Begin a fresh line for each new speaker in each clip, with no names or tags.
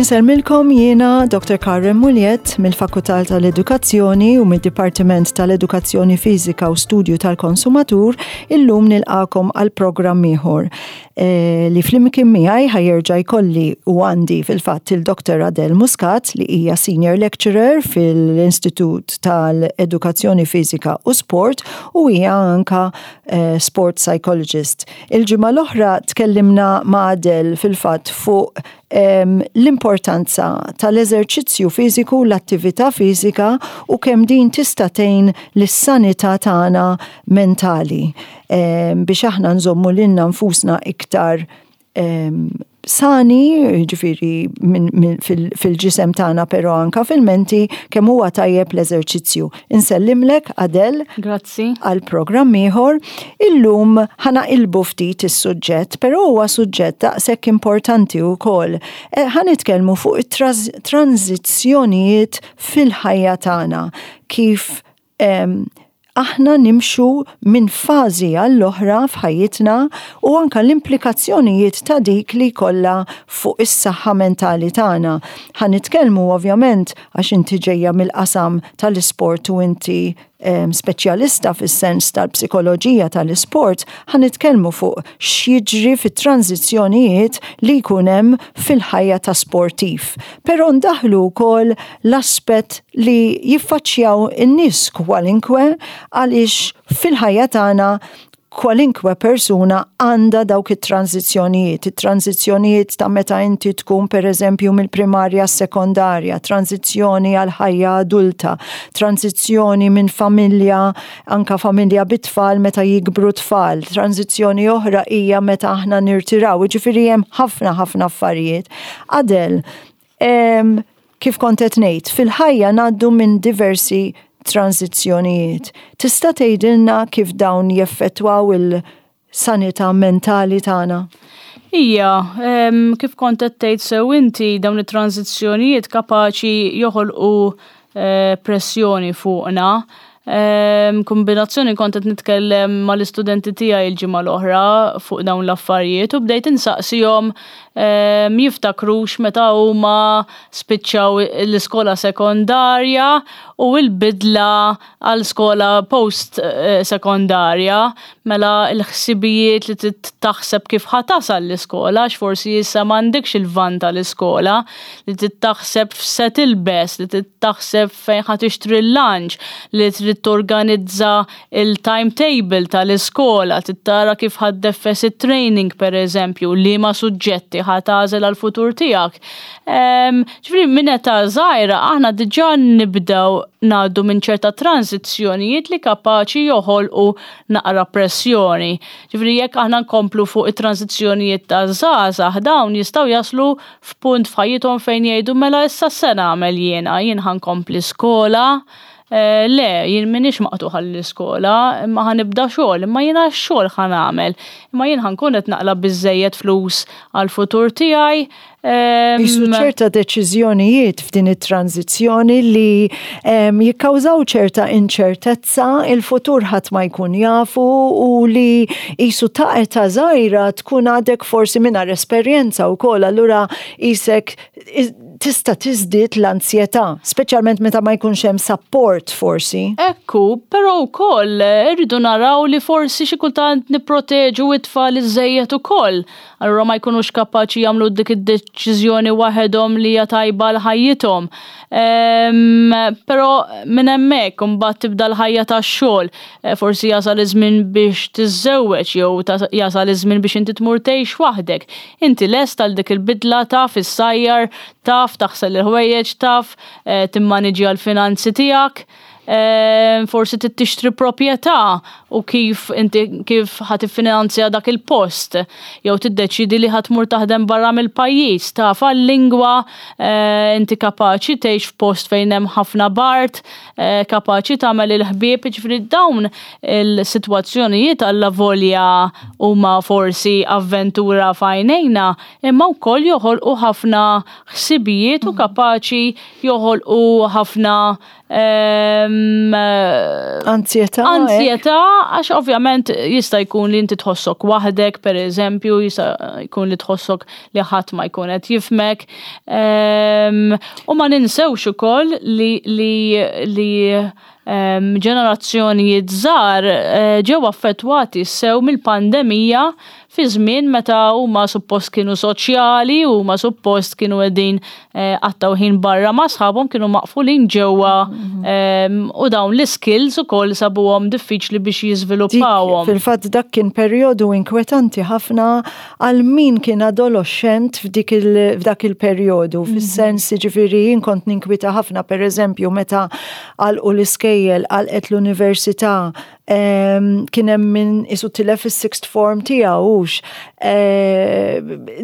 Insellmilkom jiena Dr. Karen Muliet mill-Fakultà tal-Edukazzjoni u mid-Dipartiment tal-Edukazzjoni Fiżika u Studju tal-Konsumatur illum nilqakom għal programm ieħor. Eh, li flimkien miegħi ħajerġa' jkolli u għandi fil-fatt il-Dr. Adele Muscat li hija Senior Lecturer fil-Istitut tal-Edukazzjoni Fiżika u Sport u hija anka eh, Sport Psychologist. Il-ġimgħa l-oħra tkellimna ma' Adele fil-fatt fuq l-importanza tal-eżerċizzju fiżiku, l-attività fiżika u kemm din tista' tgħin lis-sanità tagħna mentali biex aħna nżommu lilna nfusna iktar sani, ġifiri fil-ġisem tagħna però anka fil-menti kemm huwa tajjeb l-eżerċizzju. Insellimlek Adel.
Grazzi.
Għal programm ieħor. Illum ħa naqilbu ftit is-suġġett, però huwa suġġett daqshekk importanti wkoll. Eh, ħa nitkellmu fuq it-tranzizzjonijiet fil-ħajja tagħna, kif aħna nimxu minn fażi għall-oħra f'ħajjitna u anka l-implikazzjonijiet ta' dik li jkollha fuq is-saħħa mentali tagħna. Ħa nitkellmu ovvjament għax inti ġejja mill-qasam tal-isport u inti speċjalista fis-sens tal-psikoloġija tal-isport, ħa nitkellmu fuq x'jiġri fit-tranżizzjonijiet li jkun hemm fil-ħajja ta' sportiv. Però ndaħlu wkoll l-aspett li jiffaċċjaw in-nies kwalinkwe għaliex fil-ħajja tagħna kwalinkwe persuna għandha dawk it-tranżizzjonijiet, it-tranżizzjonijiet ta' meta inti tkun per eżempju mill-primarja sekondarja, tranżizzjoni għal ħajja adulta, tranżizzjoni minn familja, anka familja bit-tfal meta jikbru tfal, tranżizzjoni oħra hija meta aħna nirtiraw, ġifieri hemm ħafna ħafna affarijiet. Adel, kif kont qed ngħid, fil-ħajja ngħaddu minn diversi tranżizzjonijiet. Tista' tgħidilna kif dawn jeffettwaw il-sanità mentali tagħna?
Ija, kif kont qed tgħid sew inti dawn it-tranżizzjonijiet kapaċi joħolqu eh, pressjoni fuqna. Kombinazzjoni kont qed nitkellem mal-istudenti tiegħi l-ġimgħa l-oħra fuq dawn l-affarijiet u bdejt insaqsihom jiftakrux meta huma spiċċaw l-iskola sekondarja u l-bidla għal skola post eh, sekondarja mela l-ħsibijiet li trid taħseb kif ħa tasal l-iskola għax forsi issa m'għandekx il-van tal-iskola li trid taħseb f'se tilbes, li trid taħseb fejn ħa tixtri l-lunch, li trid torganizza il-timetable tal-iskola, trid tara kif ħa ddeffes it-training pereżempju, liema suġġetti ħa tagħżel għall-futur tiegħek. Ġifieri minn età żgħira aħna diġà nibdew ngħaddu minn ċerta transizzjonijiet li kapaċi joħolqu naqra pressjoni. Ġifieri jekk aħna nkomplu fuq it-transizzjonijiet ta' żgħażagħ dawn jistgħu jaslu f'punt f'ħajjithom fejn jgħidu mela issa se nagħmel jiena, jien ħa nkompli skola, eh, le, jien m'iniex maqtugħ għall-iskola, imma ħa nibda xogħol, imma jiena x-xogħol ħa nagħmel, imma jien ħa nkun qed naqla' biżżejjed flus għall-futur tiegħi,
Jisu ċerta deċiżjonijiet f'din it-tranzizzjoni li jikkawżaw ċerta inċertezza, il-futur ħadd ma jkun jafu u li jisu ta' età żgħira tkun għadek forsi mingħajr esperjenza wkoll, allura isek tista' tiżdied l-anzjetà, speċjalment meta ma jkunx hemm support forsi.
Ekku, però wkoll irridu naraw li forsi xi kultant nipproteġu it-tfal iżejjed ukoll. Allura ma jkunux kapaċi jagħmlu dik id-deċiżjoni waħedhom li hija tajba għal ħajjithom. Ehm, però minn hemmhekk imbagħad tibda l-ħajja tax-xogħol. Eh, forsi jasal iż-żmien biex tiżżewweġ jew jasal iż-żmien biex inti tmur tgħix waħdek. Inti lest għal dik il-bidla taf issajjar, taf taħsel il-ħwejjeġ, taf eh, timmaniġġja l-finanzi tiegħek. Forsi trid tixtri proprjetà u kif inti kif ħa tiffinanzja dak il-post, jew tiddeċidi li ħa tmur taħdem barra mill-pajjiż, taf għal-lingwa, inti kapaċi tgħix f'post fejn hemm ħafna bard, kapaċi tagħmel il-ħbieb, jiġifieri dawn il-sitwazzjonijiet allavolja huma forsi avventura f'għajnejna, imma wkoll joħolqu ħafna ħsibijiet u kapaċi joħolqu ħafna
Anzjetà.
Anzjetà, għax ovvjament jista' jkun li inti tħossok waħdek, per eżempju, jista' jkun li tħossok li ħadd ma jkun qed jifmek. U ma ninsewx ukoll li li li ġenerazzjonijiet żgħar eh, ġew affettwati sew mill-pandemija fi żmien meta huma suppost kienu soċjali, huma suppost kienu qegħdin eh, qattaw ħin barra ma' sħabhom kienu maqfulin ġewwa mhm. u dawn l-iskills ukoll sabuhom diffiċli biex jiżviluppawhom.
Fil-fatt dak kien perjodu inkwetanti ħafna għal min kien adoloxxent f'dak il-perjodu, mhm. fis-sens ġifieri jien kont ninkwita ħafna pereżempju meta għalqu l-iskejjel, għalqet l-università, kien hemm min isu tilef is-sixth form tiegħu hux.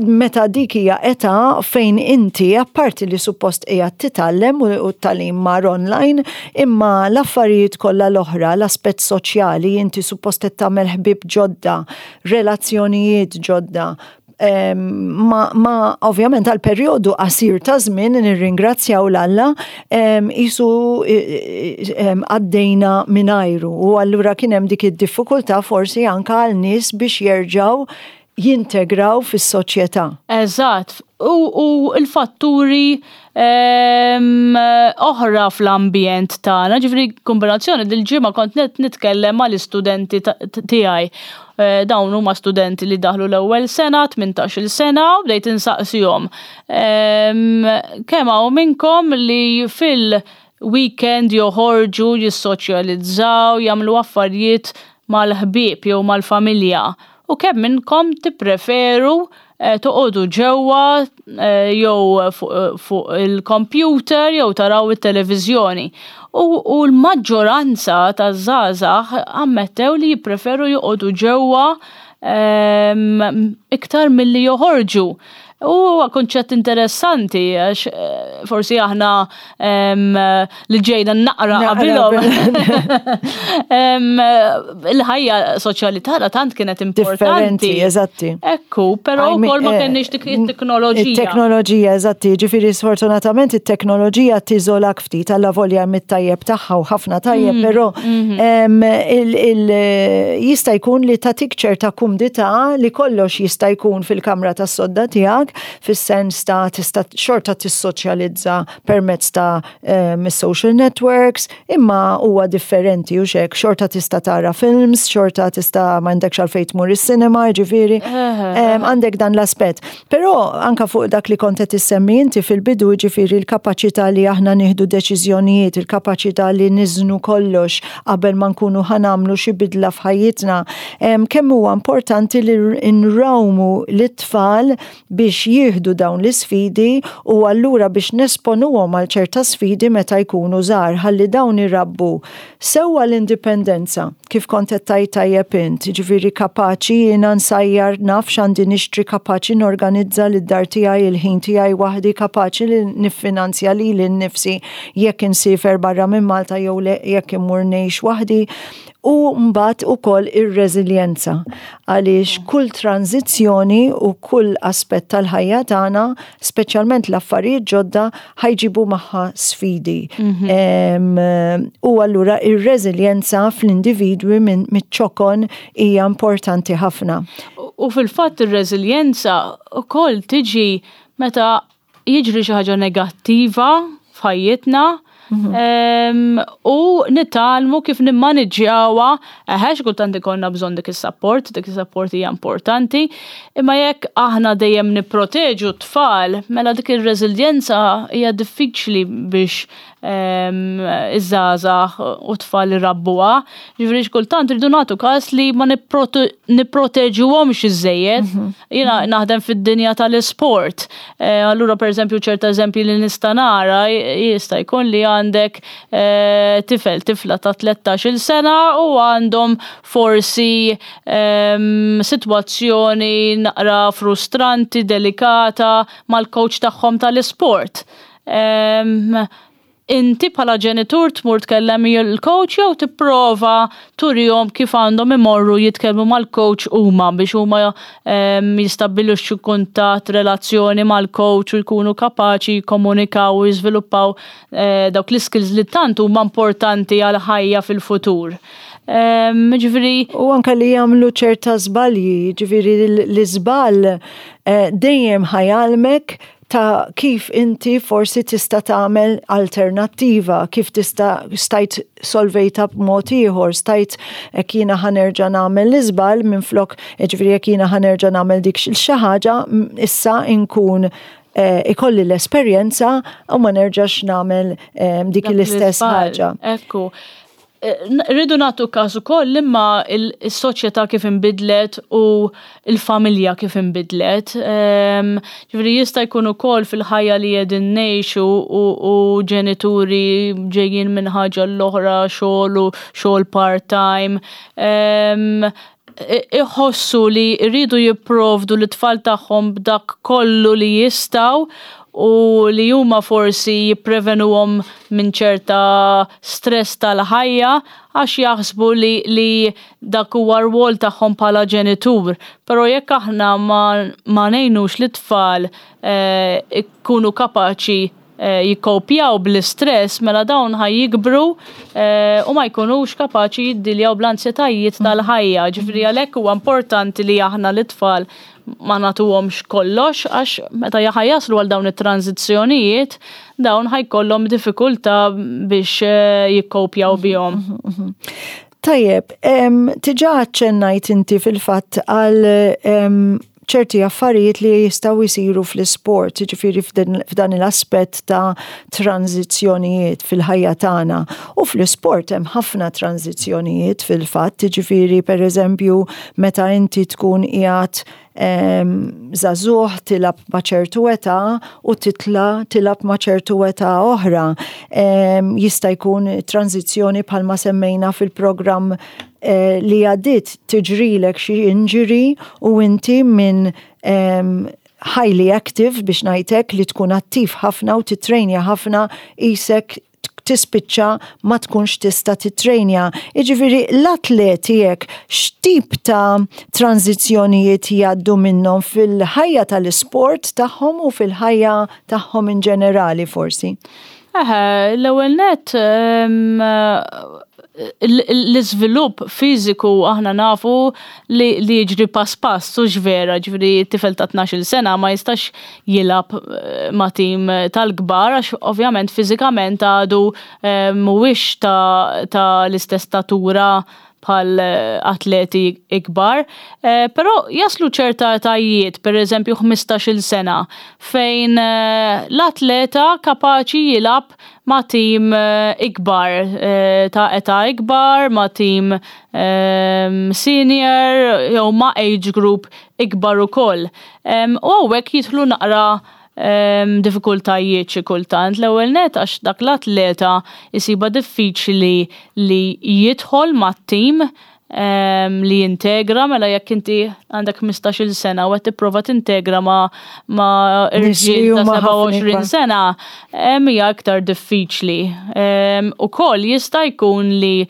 Meta dik hija età fejn inti apparti li suppost qiegħed titgħallem u t-tagħlim mar online, imma l-affarijiet kollha l-oħra, l-aspett soċjali, inti suppost qed tagħmel ħbieb ġodda, relazzjonijiet ġodda, ma, ma ovvjament għal perjodu qasir ta' żmien nirringrazzjaw l-Alla isu għaddejna mingħajru u allura kien hemm dik id-diffikultà forsi anka għal nies biex jerġgħu jintegraw fis-soċjetà.
Eżatt, u l-fatturi oħra fl-ambjent tagħna, ġifieri kombinazzjoni dil-ġimgħa kont nitkellem mal-istudenti tiegħi. Eh, dawn huma studenti li daħlu l-ewwel sena, 18-il sena, u bdejt insaqsihom. Kemm hawn minnkom li fil- weekend joħorġu, jissoċjalizzaw, jagħmlu affarijiet mal-ħbieb jew mal-familja. U kemm minnkom tippreferu eh, toqogħdu ġewwa eh, jew fuq il-computer jew taraw it-televiżjoni. U l-maġġoranza taż-żgħażagħ ammettew li jippreferu joqogħdu ġewwa ehm, iktar milli joħorġu. U huwa kunċett interessanti għax eh, forsi aħna li ġejna naqra qabilhom. Il-ħajja soċjali tagħna tant kienet importanti.
Eżatti.
Ekku, però wkoll ma eh, kenniex dik it-teknoloġija.
It-teknoloġija, eżatti, ġifieri sfortunatament it-teknoloġija tiżolak ftit alla volja mit-tajjeb tagħha u ħafna tajjeb, mm, però mhm. jista' jkun li tagħtik ċerta kumdità li kollox jista' jkun fil-kamra tas-sodda tiegħek, fis-sens ta' tista' xorta tissoċjalizza permezz ta' ehm, social networks, imma huwa differenti u xek, xorta tista' tara films, xorta tista' m'għandekx għalfejn tmur is-cinema, ġifieri, ehm, għandek dan l-aspett. Però anka fuq dak li kont qed issemmi inti fil-bidu ġifieri l-kapaċità li aħna nieħdu deċiżjonijiet, il-kapaċità li niżnu kollox qabel ma nkunu ħa nagħmlu xi bidla f'ħajjitna, kemm huwa importanti li nrawmu lit-tfal biex jieħdu dawn l-isfidi u allura biex nesponuhom għal ċerta sfidi meta jkunu żgħar ħalli dawn irabbu sewwa l-indipendenza, kif kont qed tgħid tajjeb int, jiġifieri kapaċi jiena nsajjar naf x'għandi nixtri kapaċi norganizza lid-dar tiegħi il-ħin tiegħi waħdi kapaċi li niffinanzja lili nnifsi jekk insiefer barra minn Malta jew le jekk immur ngħix waħdi u mbagħad ukoll ir-reżiljenza għaliex kull tranżizzjoni u kull aspett tal-ħajja tagħna, speċjalment l-affarijiet ġodda, ħajġibu magħha sfidi. Mhm. U allura ir-reżiljenza fl-individwi minn miċ-ċokon hija importanti ħafna.
U fil-fatt ir-reżiljenza ukoll tiġi meta jiġri xi ħaġa negattiva f'ħajjitna mhm. u nitgħallmu kif nimmaniġġjawha eħe kultant ikollna bżonn dik is-support, dik is-support hija importanti, imma jekk aħna dejjem nipproteġu t-tfal, mela dik ir-reżiljenza hija diffiċli biex Iż-żgħażagħ u tfal irabbuha. Ġifieri xi kultant irridu nagħtu każ li ma nipproteġuhomx iżejjed. Jiena naħdem fid-dinja tal-isport. Allura, pereżempju, ċerta eżempji li nista' nara jista' jkun li għandek tifel, tifla ta' 13-il sena u għandhom forsi sitwazzjoni naqra frustranti, delikata mal-coach tagħhom tal-isport. Inti bħala ġenitur tmur tkellem il-coach jew tipprova turihom kif għandhom imorru jitkellmu mal-coach huma biex huma jistabbilixxu kuntatt, relazzjoni mal-coach u jkunu kapaċi jikkomunikaw u jiżviluppaw dawk l-skills li tant huma importanti għal ħajja fil-futur? Ġifieri
U anka li jagħmlu ċerta żbalji, ġifieri l-iżball dejjem ħa jgħallmek ta' kif inti forsi tista' tagħmel alternattiva, kif tista' stajt solvejta b'mod ieħor, stajt jekk jiena ħa nerġa' nagħmel l-iżball minflok, ġifieri jekk jiena ħa nerġa' nagħmel dik xi ħaġa, issa inkun ikolli l-esperjenza u ma nerġax nagħmel dik l-istess ħaġa.
Ekku. Rridu nagħtu każ ukoll imma il-soċjetà kif inbidlet u il-familja kif inbidlet. Ġifieri jista' jkun ukoll fil-ħajja li qegħdin ngħixu u ġenituri ġejjin minn ħaġa l-oħra, xogħol u xogħol part-time, iħossu li rridu jipprovdu l-tfal tagħhom b'dak kollu li jistgħu u li huma forsi jipprevenuhom minn ċerta stress tal-ħajja għax jaħsbu li dak huwa rwol tagħhom bħala ġenitur. Però jekk aħna ma ngħinux lit-tfal ikunu kapaċi jikkopjaw bl-istress, mela dawn ħa jikbru u ma jkunux kapaċi jiddiljaw bl-ansjetajiet tal-ħajja. Ġifieri għalhekk huwa importanti li aħna l-tfal ma nagħtuhomx kollox, għax meta ħa jaslu għal dawn it-tranzizzjonijiet, dawn ħa jkollhom diffikultà biex jikkopjaw bihom.
Tajjeb, diġà aċċennajt inti fil-fatt għal ċerti affarijiet li jistgħu jisiru fl-sport, ġifieri f'dan l-aspett ta' tranzizzjonijiet fil-ħajja tagħna. U fl-sport hemm ħafna tranzizzjonijiet fil-fatt, ġifieri, per eżempju, meta inti tkun qiegħed żagħżugħ tilgħab ma' ċertu età u titla tilgħab ma' ċertu età oħra. Jista' jkun tranzizzjoni bħalma semmejna fil-programm li għaddit, tiġrilek xi injury u inti minn highly active, biex ngħidlek, li tkun attiv ħafna u titrejnja ħafna, isek tispiċċa ma tkunx tista' titrejnja. Iġifieri l-atleti hekk x'tip ta' tranzizzjonijiet jgħaddu minnhom fil-ħajja tal-isport tagħhom u fil-ħajja tagħhom in ġenerali forsi?
Eħe, l-ewwel net, l-iżvilupp fiżiku aħna nafu li jiġri pass pass, u vera, ġifieri tifel ta' 12 sena ma jistax jilgħab ma' tim tal-kbar għax ovvjament fiżikament għadu mhuwiex ta' l-istess statura bħal atleti ikbar, però jaslu ċerta etajiet, per eżempju 15 sena, fejn l-atleta kapaċi jilgħab ma' tim ikbar, ta' età ikbar, ma' tim senior, jew ma' age group ikbar ukoll. U hawnhekk jidħlu naqra diffikultajiet xi kultant. L-ewwel net għax dak l-atleta jisibha diffiċli li jidħol mat-tim, li jintegra. Mela jekk inti għandek 15-il sena u qed tipprova tintegra ma' irġiel ta' 27 sena, hija iktar diffiċli. Ukoll jista' jkun li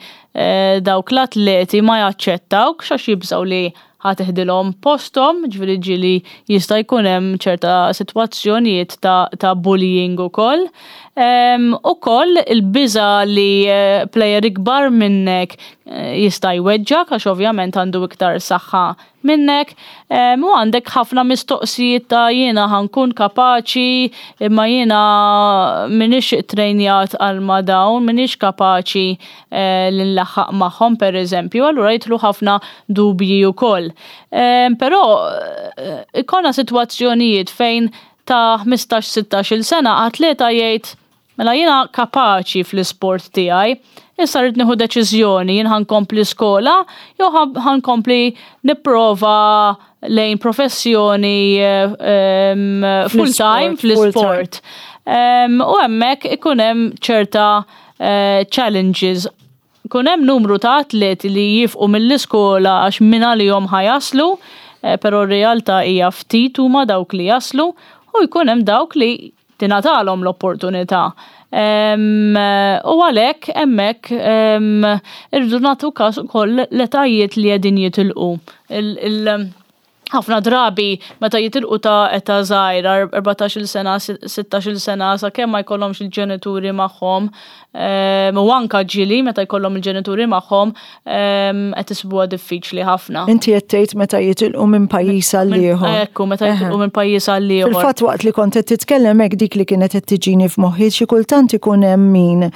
dawk l-atleti ma jaċċettawkx għax jibżgħu li ħa teħdilhom posthom, ġifieri ġieli jista' jkun hemm ċerta sitwazzjonijiet ta' bullying ukoll. Ukoll il-biża li player ikbar minnek jista' jweġġak għax ovvjament għandu iktar saħħa minnek u għandek ħafna mistoqsijiet ta' jiena ħa nkun kapaċi, imma jiena m'iniex trejnjat għal ma dawn, m'iniex kapaċi li nlaħħaq magħhom, per eżempju, allura jidħlu ħafna dubji wkoll. Però ikollna sitwazzjonijiet fejn ta' 15-16 sena atleta jgħid: Mela jiena kapaċi fl-isport tiegħi, issa rrid nieħu deċiżjoni jien ħa nkompli skola jew ħa nkompli nipprova lejn professjoni full time fl-isport. U hemmhekk ikun hemm ċerta eh, challenges. Ikun hemm numru ta' atleti li jifqu mill-iskola għax minn għalihom ħa jaslu, eh, però r-realtà hija ftit huma dawk li jaslu u jkun hemm dawk li tingħatalhom l-opportunità. U għalhekk hemmhekk irridu nagħtu każ ukoll l-etajiet li qegħdin jitilqu. Ħafna drabi meta jitilqu ta' età żgħira, 14-il sena, 16-il sena, sakemm ma jkollhomx il-ġenituri magħhom, u anka ġieli meta jkollhom il-ġenituri magħhom, qed isibuha diffiċli ħafna.
Inti qed tgħid meta jitilqu minn pajjiż għal ieħor.
Ekku, meta jitilqu minn pajjiż għal ieħor.
Fil-fatt waqt li kont qed titkellem hekk dik li kienet qed tiġini f'moħħi xi kultant ikun hemm min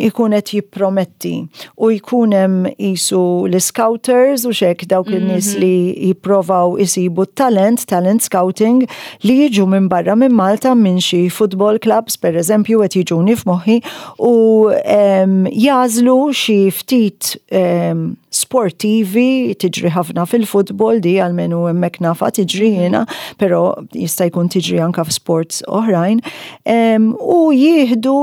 ikun qed jipprometti u jkun hemm qisu l-scouters u xek dawk in-nies mhm. li jipprovaw isibu talent, talent scouting li jiġu minn barra minn Malta minn xi football clubs per eżempju qed jiġuni f'moħħi u jagħżlu xi ftit sportivi, tiġri ħafna fil-futbol di għalmenu hemmhekk nafa tiġri mhm. jiena, però jista' jkun tiġri anka f'sports oħrajn, u jieħdu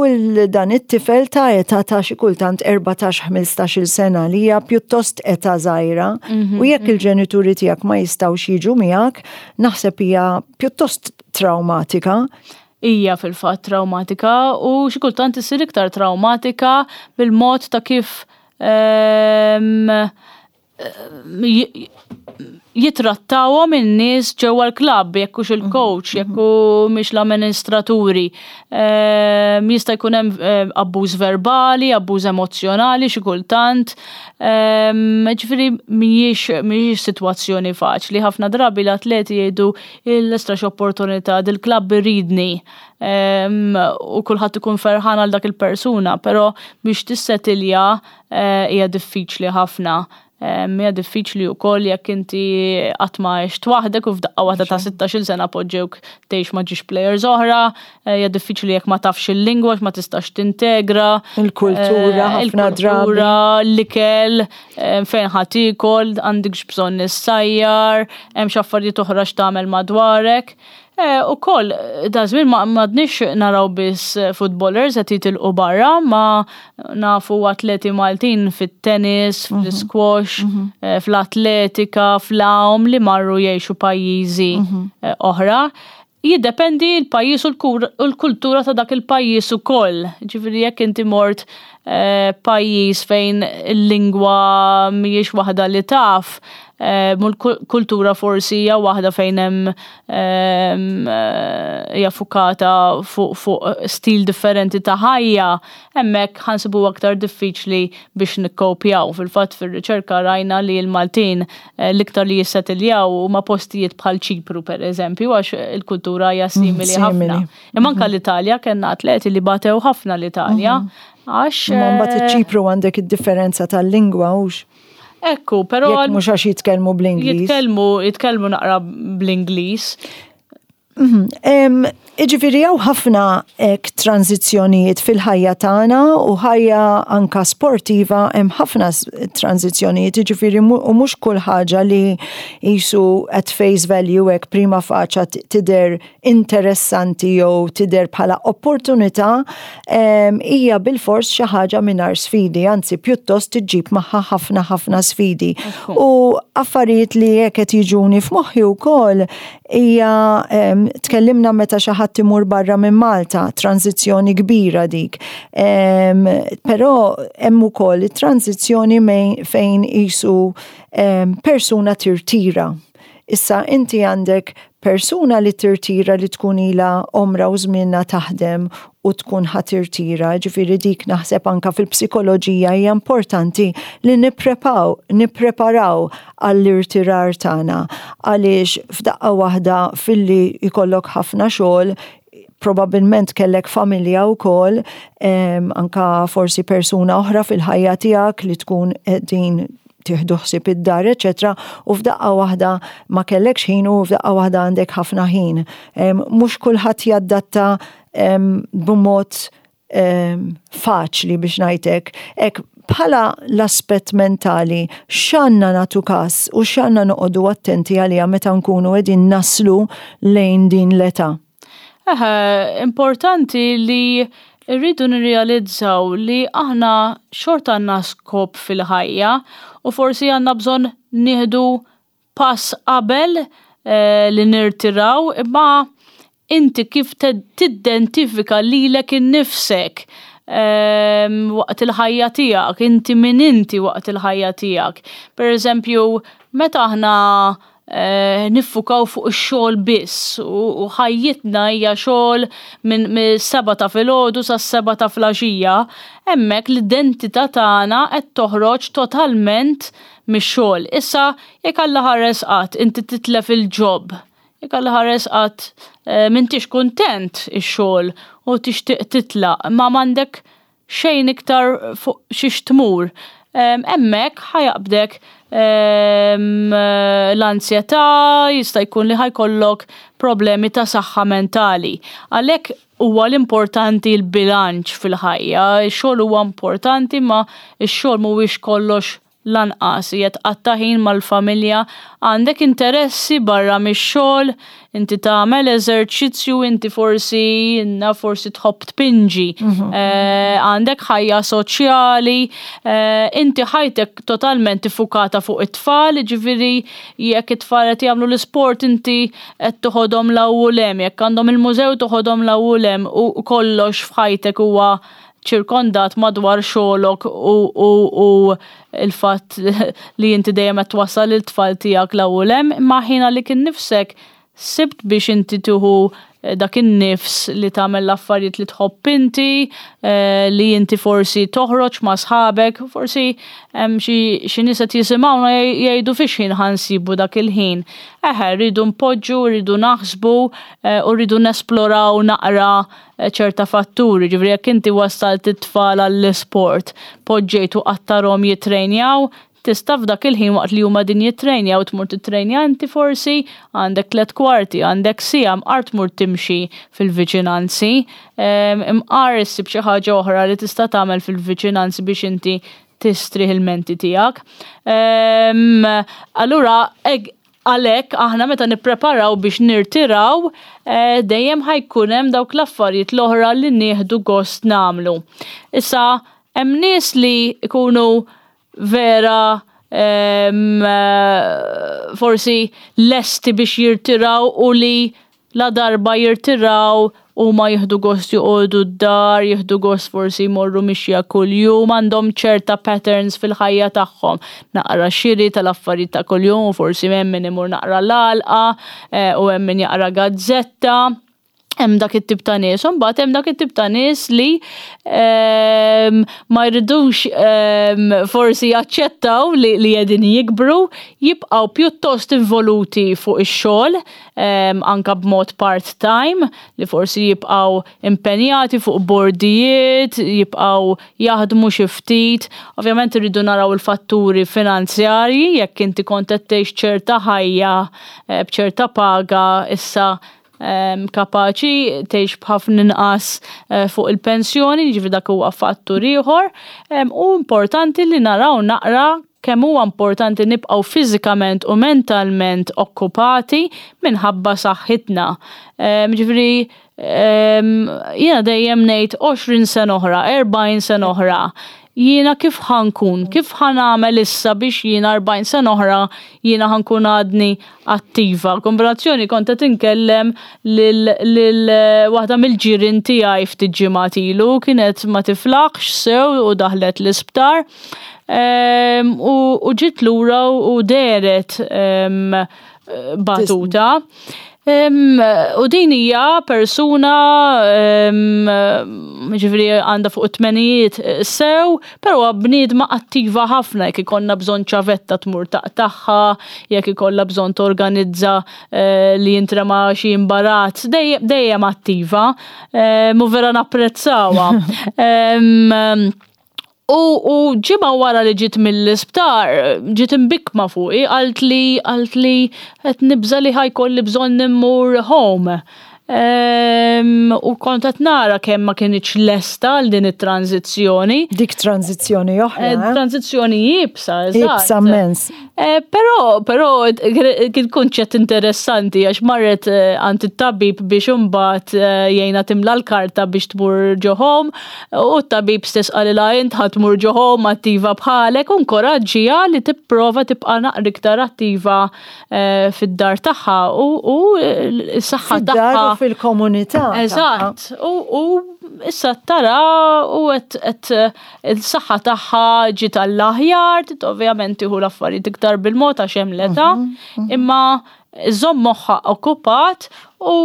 dan it-tifel ta' età ta' xi kultant 14-15 sena li hija pjuttost età żgħira mhm, u jekk mhm. il-ġenituri tiegħek ma jistgħux jiġu miegħek, naħseb hija pjuttost traumatika.
Hija fil-fatt trawmatika u xi kultant issir iktar trawmatika bil-mod ta' kif ehm, jitrattawhom in-nies ġewwa l-klabb, jekk hux il-coach, jekk mhix l-amministraturi. Ehm, jista' jkun hemm ehm, abbuż verbali, abbuż emozzjonali xi kultant. Ehm, ġifieri mhijiex mhijiex sitwazzjoni faċli. Ħafna drabi l-atleti jgħidu Il-estra x'opportunità, dil-klabb iridni u kulħadd ikun ferħan għal dak il-persuna, però biex tissetilja eh, hija diffiċli ħafna. Hija diffiċli wkoll jekk inti qatt ma għext waħdek u f'daqqa waħda ta' 16-il sena poġġewk tgħix ma' ġiex players oħra, eh, hija diffiċli jekk ma tafx il-lingwa ma tistax tintegra.
Il-kultura, eh, ħafna drabi.
L-ikel, fejn ħa tiekol, għandikx bżonn issajjar, hemm xi affarijiet oħra x'tagħmel madwarek. Eh, ukoll da żmien ma m'għadniex naraw biss footballers qed jitilqu barra, ma nafu atleti Maltin fit-tennis, mhm. fl-squash, mhm. eh, fl-atletika, fl-għawm li marru jgħixu pajjiżi mhm. eh, oħra. Jiddependi l-pajjiż u l-kultura ta' dak il-pajjiż ukoll. Ġifieri jekk inti mort eh, pajjiż fejn il-lingwa mhijiex waħda li taf, eh, mu l-kultura forsi hija waħda fejn hemm ehm, eh, hija fukata fuq stil differenti ta' ħajja, hemmhekk ħansibu aktar diffiċli biex nikkopjaw. Fil-fatt fir-riċerka rajna li l-Maltin eh, l-iktar li jissetiljaw huma postijiet bħal Ċipru pereżempju għax il-kultura hija mm, simili ħafna. Imma anke mm-hmm. l-Italja kellna atleti li batew ħafna l-Italja. Mm-hmm. Għax.
Ma mbagħad eh, iċ-Ċipru għandek id-differenza tal-lingwa hux.
Ekku, però.
Mhux għax jitkellmu bl-Ingliż.
Jitkellmu, jitkellmu naqra bl-Ingliż.
Mhm. Iġifiri hawn ħafna ek tranzizzjonijiet fil-ħajja tagħna u ħajja anka sportiva hemm ħafna tranzizzjonijiet, iġifiri u mhux kull ħaġa li jisu at face value hekk prima faċa tidher interessanti jew tidher bħala opportunità hija bilfors xi ħaġa mingħajr sfidi, anzi pjuttost iġġib magħha ħafna ħafna sfidi. U affarijiet li hekk qed jiġuni f'moħħi wkoll hija tkellimna meta xi ħadd imur barra minn Malta, tranzizzjoni kbira dik. Però hemm ukoll it-tranzizzjoni fejn qisu persuna tirtira. Issa inti għandek persuna li tirtira li tkun ilha għomra u żmienha taħdem u tkun ħa tirtira, ġifieri dik naħseb anka fil-psikoloġija hija importanti li nipprepaw, nippreparaw għall-irtirar tagħna għaliex f'daqqa waħda filli jkollok ħafna xogħol probabilment kellek familja wkoll, anka forsi persuna oħra fil-ħajja tiegħek li tkun din tieħdu ħsieb id-dar, eċetera, u f'daqqa waħda ma kellekx ħin u f'daqqa waħda għandek ħafna ħin. Mhux kulħadd jaddatta b'mod faċli biex ngħidlek. Hekk bħala l-aspett mentali x'għandna nagħtu każ u x'għandna noqogħdu attenti għaliha meta nkunu qegħdin naslu lejn din l-età?
Eħe, importanti li rridu nirrealizzaw li aħna xorta għandna skop fil-ħajja u forsi għandna bżonn nieħdu pass qabel li nirtiraw imma inti kif tiddentifika lilek innifsek waqt il-ħajja tiegħek, inti min inti waqt il-ħajja tiegħek. Per eżempju, meta aħna niffukaw fuq ix-xogħol biss u ħajjitna hija xogħol minn seba ta' filgħodu sas-seba ta' flaxija, hemmhekk l-identità tagħna qed toħroġ totalment mix-xogħol. Issa jekk Alla ħares qatt inti titlef il-job, jekk Alla ħares qatt m'intix kuntent ix-xogħol u tixtieq titlaq, ma m'għandek xejn iktar fuq xiex tmur. Hemmhekk ħajaqbdek l-ansjetà, jista' jkun li ħajkollok problemi ta' saħħa mentali. Għalhekk huwa l-importanti l-bilanċ fil-ħajja, ix-xogħol huwa importanti ma x-xogħol mhuwiex kollox lanqas, hija tqatta' ħin mal-familja, għandek interessi barra mix-xogħol, inti tagħmel eżerċizzju, inti forsi naf forsi tħobb tpinġi, għandek ħajja soċjali, inti ħajtek totalment iffukata fuq it-tfal, jiġifieri jekk it-tfal qed jagħmlu l-isport inti qed toħodhom 'l hawn u 'l hemm, jekk għandhom il-mużew toħodhom 'l hawn u 'l hemm u kollox f'ħajtek huwa ċirkondat madwar xogħlok u u u l-fatt li inti dejjem qed twassal it-tfal tiegħek 'l hawn u 'l hemm, imma ħin għalik innifsek sibt biex inti tieħu dak in-nifs li tagħmel l-affarijiet li tħobb inti, li inti forsi toħroġ ma' sħabek, forsi hemm xi xi nies qed jisimgħuna jgħidu fiex ħin ħa nsibu dak il-ħin. Eħe, rridu npoġġu, rridu naħsbu u rridu nesploraw naqra ċerta fatturi, ġifieri jekk inti wassalt it-tfal għall-isport, poġġejt u qattarhom jittrejnjaw, tista' f'dak il-ħin waqt li huma din jittrejnjaw tmur tittrejnja inti forsi, għandek tliet kwarti, għandek siegħa mqar tmur timxi fil-viċinanzi, imqar issib xi ħaġa oħra li tista' tagħmel fil-viċinanzi biex inti tistrieħ il-menti tiegħek. Allura Għalhekk aħna meta nippreparaw biex nirtiraw, dejjem ħa jkun hemm dawk l-affarijiet l-oħra li nieħdu gost nagħmlu. Issa hemm nies li jkunu vera forsi lesti biex jirtiraw u li Ladarba jirtiraw, huma jieħdu gost joqogħdu d-dar, jieħdu gost forsi jmorru mixja kuljum, għandhom ċerta patterns fil-ħajja tagħhom. Naqra xiri tal-affarijiet ta' kuljum u forsi hemm min imur naqra l-għalqa u hemm min jaqra gazzetta. Hemm dak it-tip ta' nies. U mbagħad hemm dak it-tip ta' nies li ma jridux forsi jaċċettaw li qegħdin jikbru, jibqgħu pjuttost involuti fuq ix-xogħol, anka b'mod part-time, li forsi jibqgħu impenjati fuq bordijiet, jibqgħu jaħdmu xi ftit. Ovvjament irridu naraw il-fatturi finanzjarji, jekk inti kont qed tgħix ċerta ħajja eh, b'ċerta paga issa kapaċi tgħix b'ħafna inqas eh, fuq il-pensjoni, jiġifieri dak huwa fattur ieħor. U importanti li naraw naqra kemm huwa importanti nibqgħu fiżikament u mentalment okkupati minħabba saħħitna. Ġifieri jiena dejjem ngħid 20 sena oħra, 40 sena oħra, jiena kif ħa nkun, kif ħa nagħmel issa biex jiena 40 sena oħra jiena ħa nkun għadni attiva. Kombinazzjoni kont qed inkellem lil waħda mill-ġirien tiegħi ftit ġimgħat ilu, kienet ma tiflaħx sew u daħlet l-isptar. U ġiet lura u dehret batuta. U din hija persuna ġifieri għandha fuq it-tmenijiet sew, però bniedma attiva ħafna jekk ikollna bżonn ċavetta tmur taqtagħha, jekk ikollha bżonn torganizza li jintrema xi imbarazz, dejjem attiva, u vera napprezzawha. U, u ġimgħa wara li ġiet mill-isptar, ġiet imbikkma fuqi, qaltli qaltli qed nibża' li ħa jkolli bżonn immur home. U kont qed nara kemm ma kinitx lesta għal din it-tranzizzjoni.
Dik tranzizzjoni oħra.
Eh, eh? Tranzizzjoni iebsa,
eżatt. Iebsa immens.
Eh, però, però kien kunċett interessanti għax marret għand it-tabib biex imbagħad jgħinha timla l-karta biex tmur ġo home u t-tabib stess qalilha int ħa tmur ġo home attiva bħalek u nkoraġġiha li tipprova tibqa' naqra iktar attiva Eh, fid-dar tagħha u s-saħħa
tagħha. U fil-komunità.
Eżatt. U issa tara u qed il-saħħa tagħha ġiet għall-aħjar, ovvjament tieħu l-affarijiet iktar bil-mod għax hemm l-età, imma żomm moħħha okkupat u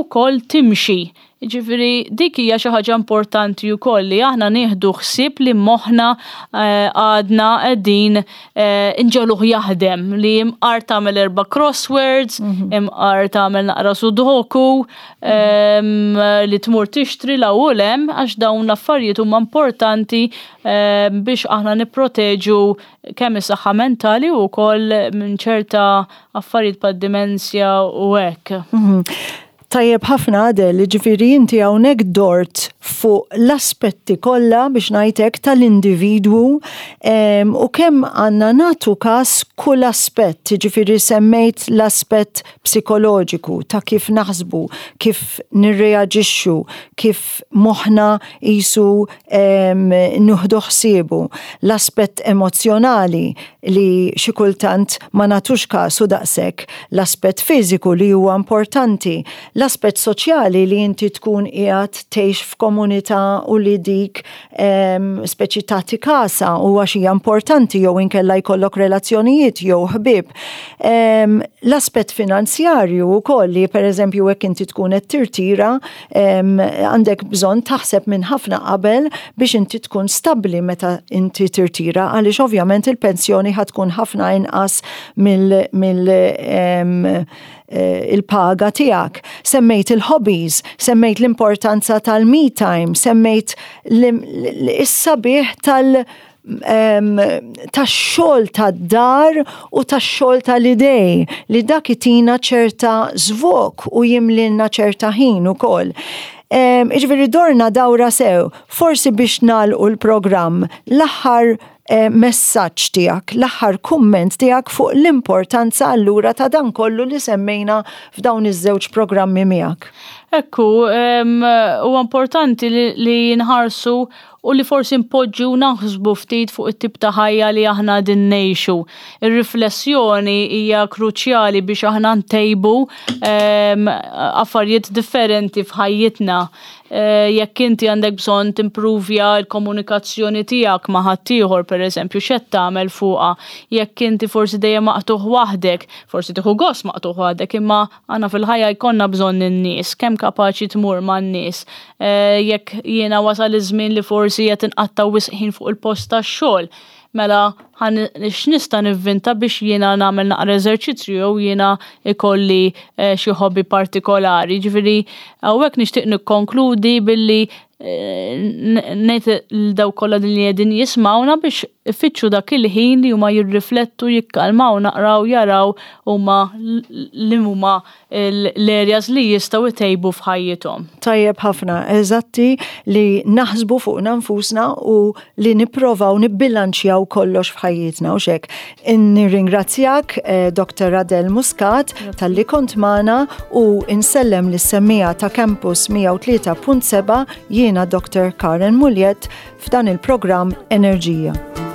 wkoll timxi. Jiġifieri dik hija xi ħaġa importanti wkoll li aħna nieħdu ħsieb li moħħna eh, għadna qegħdin eh, inġegħluh jaħdem li imqar tagħmel erba' crosswords, mhm. imqar tagħmel naqra sudoku, ehm, li tmur tixtri la u lem għax dawn l-affarijiet huma importanti ehm, biex aħna nipproteġu kemm is-saħħa mentali u wkoll minn ċerta affarijiet bħad dimensja u hekk. Mhm.
Tajjeb ħafna Adele, jiġifieri inti hawnhekk dort fuq l-aspetti kollha biex ngħid hekk tal-individwu u kemm għandna nagħtu każ kull aspett, jiġifieri semmejt l-aspett psikoloġiku ta' kif naħsbu, kif nirreaġixxu, kif moħħna qisu nieħdu ħsiebu, l-aspett emozzjonali li xi kultant ma nagħtux kasu daqshekk, l-aspett fiżiku li huwa importanti, l-aspett soċjali li inti tkun qiegħed tgħix f'komunità u li dik speċi tagħti kasha u għax hija importanti jew inkella jkollok relazzjonijiet jew ħbieb. L-aspett finanzjarju wkoll li pereżempju hekk inti tkun qed tirtira għandek bżonn taħseb minn ħafna qabel biex inti tkun stabbli meta inti tirtira għaliex ovvjament il-pensjoni ħa tkun ħafna inqas mill, mill eh, il-paga tiegħek. Semmejt il-hobbies, semmejt l-importanza tal-me time, semmejt is-sabiħ tal- tax-xogħol tad-dar u tax-xogħol tal-idej li dak itina ċerta żvok u jimlilna ċerta ħin ukoll. Iġifieri dorna dawra sew, forsi biex nagħlqu l-programm l-aħħar eh, messaġġ tiegħek, l-aħħar kumment tiegħek fuq l-importanza allura ta' dan kollu li semmejna f'dawn iż-żewġ programmi miegħek.
Ekku, huwa importanti li nħarsu u li forsi npoġġu u naħsbu ftit fuq it-tip ta' ħajja li aħna qegħdin ngħixu. Ir-riflessjoni hija kruċjali biex aħna ntejbu ehm, affarijiet differenti f'ħajjitna. Eh, jekk inti għandek bżonn timpruvja l-komunikazzjoni tiegħek ma' ħaddieħor pereżempju x'qed tagħmel fuqha, jekk inti forsi dejjem maqtugħ waħdek, forsi tieħu gost maqtugħ waħdek, imma Aħna fil-ħajja jkollna bżonn in-nies, kemm kapaċi tmur man-nies. Eh, jekk jiena wasal iż-żmien li forsi qed inqatta' wisq ħin fuq il-post tax-xogħol, mela x'nista' nivvinta biex jiena nagħmel naqra eżerċizzju jew jiena ikolli eh, xi hobby partikolari. Ġifieri hawnhekk nixtieq nikkonkludi billi ngħid lil dawk kollha li qegħdin jismgħuna biex ifittxu dak il-ħin li huma jirriflettu, jikkalmaw naqra u jaraw huma li huma l-areas li jistgħu jtejbu f'ħajjithom.
Tajjeb ħafna, eżatti li naħsbu fuqna nfusna u li nipprovaw nibbilanċjaw kollox f'ħajjitna u xek. Nirringrazzjak eh, Dr. Adel Muscat talli kont magħna u insellem lis-semmiegħa ta' Campus 103.7 jiena Dr. Karen Muliet f'dan il-programm Enerġija.